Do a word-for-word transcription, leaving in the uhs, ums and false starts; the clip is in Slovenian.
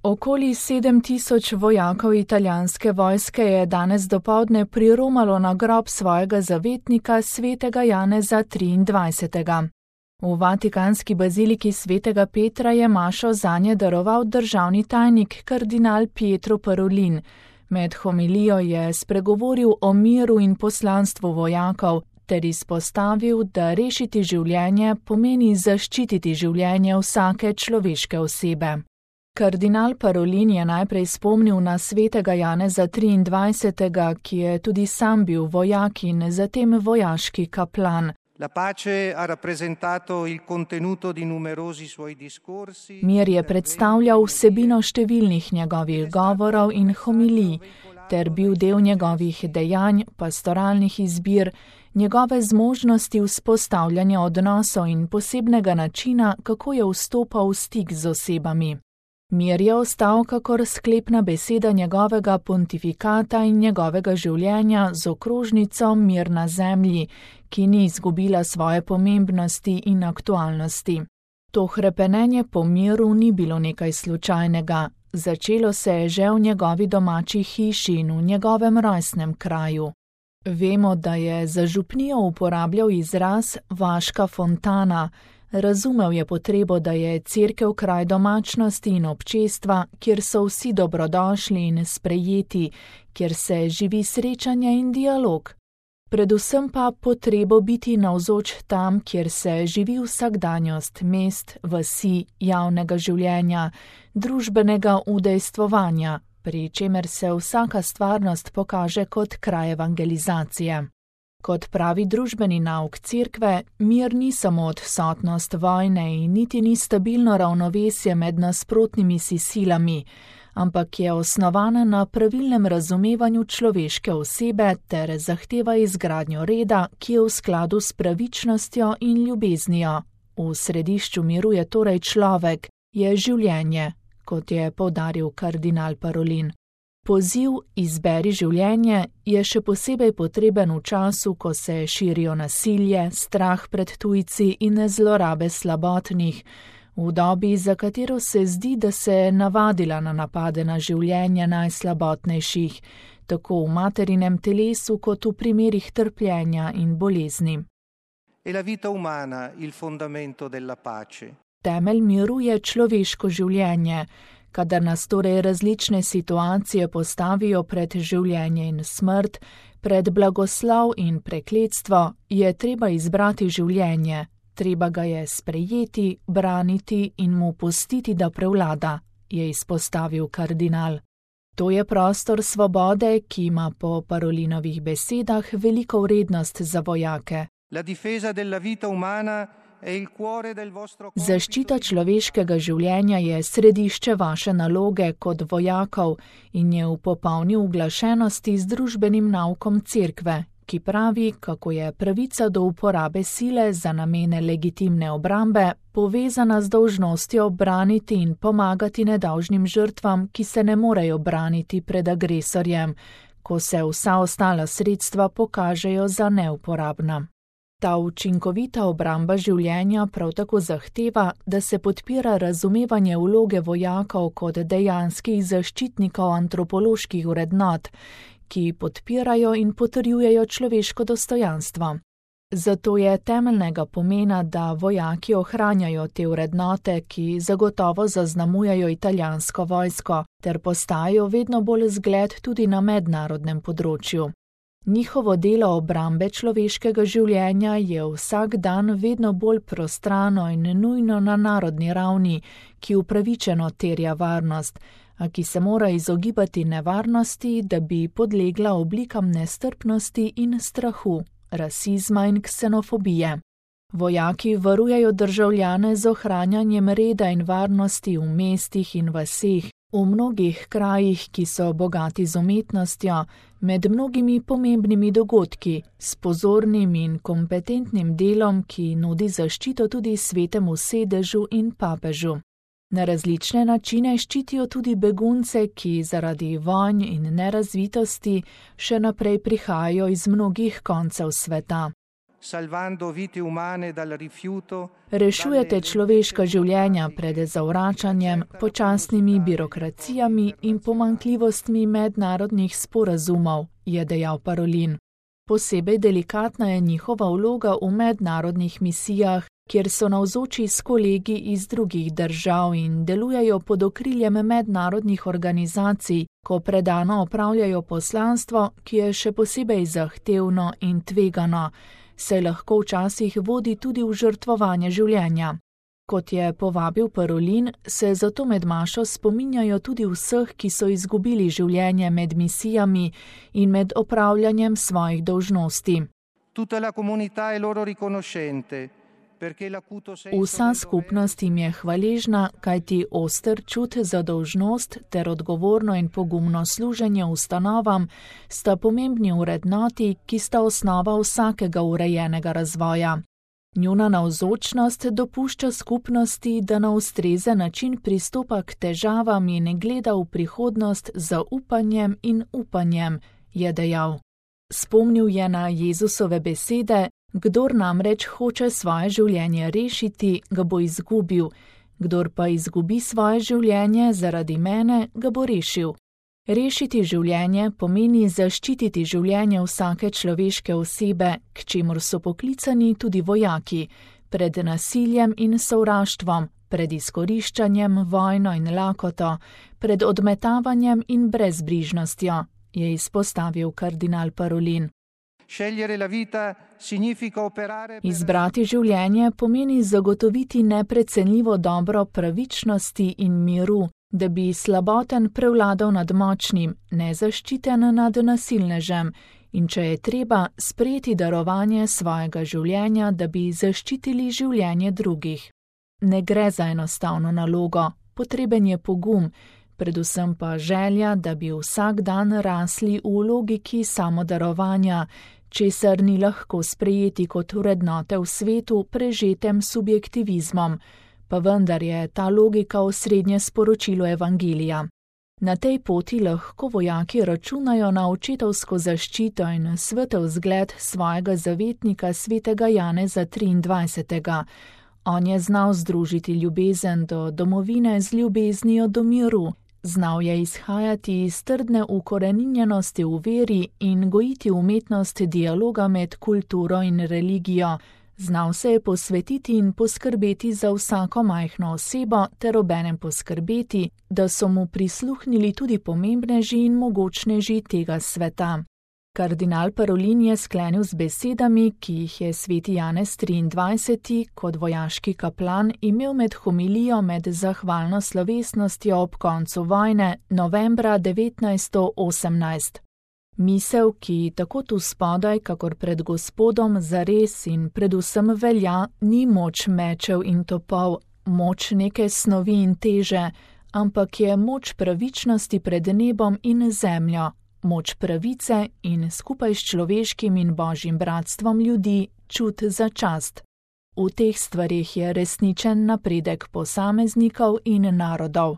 Okoli sedem tisoč vojakov italijanske vojske je danes dopoldne priromalo na grob svojega zavetnika svetega Janeza triindvajsetega. V vatikanski baziliki svetega Petra je mašo zanje daroval državni tajnik kardinal Pietro Parolin. Med homilijo je spregovoril o miru in poslanstvu vojakov ter izpostavil, da rešiti življenje pomeni zaščititi življenje vsake človeške osebe. Kardinal Parolin je najprej spomnil na svetega Janeza triindvajsetega, ki je tudi sam bil vojak in zatem vojaški kaplan. Mir je predstavljal vsebino številnih njegovih govorov in homilij, ter bil del njegovih dejanj, pastoralnih izbir, njegove zmožnosti vzpostavljanja odnosov in posebnega načina, kako je vstopal v stik z osebami. Mir je ostal kakor sklepna beseda njegovega pontifikata in njegovega življenja z okrožnico Mir na zemlji, ki ni izgubila svoje pomembnosti in aktualnosti. To hrepenenje po miru ni bilo nekaj slučajnega, začelo se je že v njegovi domači hiši in v njegovem rojstnem kraju. Vemo, da je za župnijo uporabljal izraz vaška fontana. Razumel je potrebo, da je cerkev kraj domačnosti in občestva, kjer so vsi dobrodošli in sprejeti, kjer se živi srečanje in dialog. Predvsem pa potrebo biti navzoč tam, kjer se živi vsakdanjost mest, vasi, javnega življenja, družbenega udejstvovanja, pri čemer se vsaka stvarnost pokaže kot kraj evangelizacije. Kot pravi družbeni nauk cerkve, mir ni samo odsotnost vojne in niti ni stabilno ravnovesje med nasprotnimi si silami, ampak je osnovana na pravilnem razumevanju človeške osebe ter zahteva izgradnjo reda, ki je v skladu s pravičnostjo in ljubeznijo. V središču miru je torej človek, je življenje, kot je poudaril kardinal Parolin. Poziv izberi življenje je še posebej potreben v času, ko se širijo nasilje, strah pred tujci in zlorabe slabotnih, v dobi, za katero se zdi, da se je navadila na napade na življenje najslabotnejših, tako v materinem telesu kot v primerih trpljenja in bolezni. Temelj miru je človeško življenje. Kadar nas torej različne situacije postavijo pred življenje in smrt, pred blagoslov in prekletstvo, je treba izbrati življenje, treba ga je sprejeti, braniti in mu pustiti, da prevlada, je izpostavil kardinal. To je prostor svobode, ki ima po Parolinovih besedah veliko vrednost za vojake. Zaščita človeškega življenja je središče vaše naloge kot vojakov in je v popolni uglašenosti z družbenim naukom cerkve, ki pravi, kako je pravica do uporabe sile za namene legitimne obrambe povezana z dolžnostjo braniti in pomagati nedolžnim žrtvam, ki se ne morejo braniti pred agresorjem, ko se vsa ostala sredstva pokažejo za neuporabna. Ta učinkovita obramba življenja prav tako zahteva, da se podpira razumevanje vloge vojakov kot dejanskih zaščitnikov antropoloških vrednot, ki podpirajo in potrjujejo človeško dostojanstvo. Zato je temeljnega pomena, da vojaki ohranjajo te vrednote, ki zagotovo zaznamujejo italijansko vojsko, ter postajajo vedno bolj zgled tudi na mednarodnem področju. Njihovo delo obrambe človeškega življenja je vsak dan vedno bolj prostrano in nujno na narodni ravni, ki upravičeno terja varnost, a ki se mora izogibati nevarnosti, da bi podlegla oblikam nestrpnosti in strahu, rasizma in ksenofobije. Vojaki varujejo državljane z ohranjanjem reda in varnosti v mestih in vaseh, v mnogih krajih, ki so bogati z umetnostjo, med mnogimi pomembnimi dogodki, s pozornim in kompetentnim delom, ki nudi zaščito tudi svetemu sedežu in papežu. Na različne načine ščitijo tudi begunce, ki zaradi vojn in nerazvitosti še naprej prihajajo iz mnogih koncev sveta. salvando vite umane dal rifiuto. Rešujete človeška življenja pred zavračanjem, počasnimi birokracijami in pomanjkljivostmi mednarodnih sporazumov, je dejal Parolin. Posebej delikatna je njihova vloga v mednarodnih misijah, kjer so navzoči s kolegi iz drugih držav in delujejo pod okriljem mednarodnih organizacij, ko predano opravljajo poslanstvo, ki je še posebej zahtevno in tvegano, se lahko včasih vodi tudi v žrtvovanje življenja. Kot je povabil Parolin, se zato med mašo spominjajo tudi vseh, ki so izgubili življenje med misijami in med opravljanjem svojih dolžnosti. Tutta la comunità è loro riconoscente. Vsa skupnost jim je hvaležna, kajti oster čut za dolžnost ter odgovorno in pogumno služenje ustanovam sta pomembni vrednoti, ki sta osnova vsakega urejenega razvoja. Njuna navzočnost dopušča skupnosti, da na ustrezen način pristopa k težavam in gleda v prihodnost z zaupanjem in upanjem, je dejal. Spomnil je na Jezusove besede: Kdor namreč hoče svoje življenje rešiti, ga bo izgubil, kdor pa izgubi svoje življenje zaradi mene, ga bo rešil. Rešiti življenje pomeni zaščititi življenje vsake človeške osebe, k čemur so poklicani tudi vojaki, pred nasiljem in sovraštvom, pred izkoriščanjem, vojno in lakoto, pred odmetavanjem in brezbrižnostjo, je izpostavil kardinal Parolin. Izbrati življenje pomeni zagotoviti neprecenljivo dobro pravičnosti in miru, da bi slaboten prevladal nad močnim, nezaščiten nad nasilnežem in če je treba sprejeti darovanje svojega življenja, da bi zaščitili življenje drugih. Ne gre za enostavno nalogo, potreben je pogum, predvsem pa želja, da bi vsak dan rasli v logiki samodarovanja, česar ni lahko sprejeti kot vrednote v svetu prežetem subjektivizmom, pa vendar je ta logika osrednje sporočilo Evangelija. Na tej poti lahko vojaki računajo na očetovsko zaščito in svetel zgled svojega zavetnika svetega Janeza triindvajsetega. On je znal združiti ljubezen do domovine z ljubeznijo do miru, znal je izhajati iz trdne ukoreninjenosti v veri in gojiti umetnost dialoga med kulturo in religijo. Znal se je posvetiti in poskrbeti za vsako majhno osebo ter obenem poskrbeti, da so mu prisluhnili tudi pomembneži in mogočneži tega sveta. Kardinal Parolin je sklenil z besedami, ki jih je sveti Janez triindvajseti kot vojaški kaplan imel med homilijo med zahvalno slovesnostjo ob koncu vojne novembra devetnajststo osemnajst. Misel, ki tako tu spodaj, kakor pred Gospodom zares in predvsem velja, ni moč mečev in topov, moč neke snovi in teže, ampak je moč pravičnosti pred nebom in zemljo, moč pravice in skupaj s človeškim in božjim bratstvom ljudi čut za čast. V teh stvareh je resničen napredek posameznikov in narodov.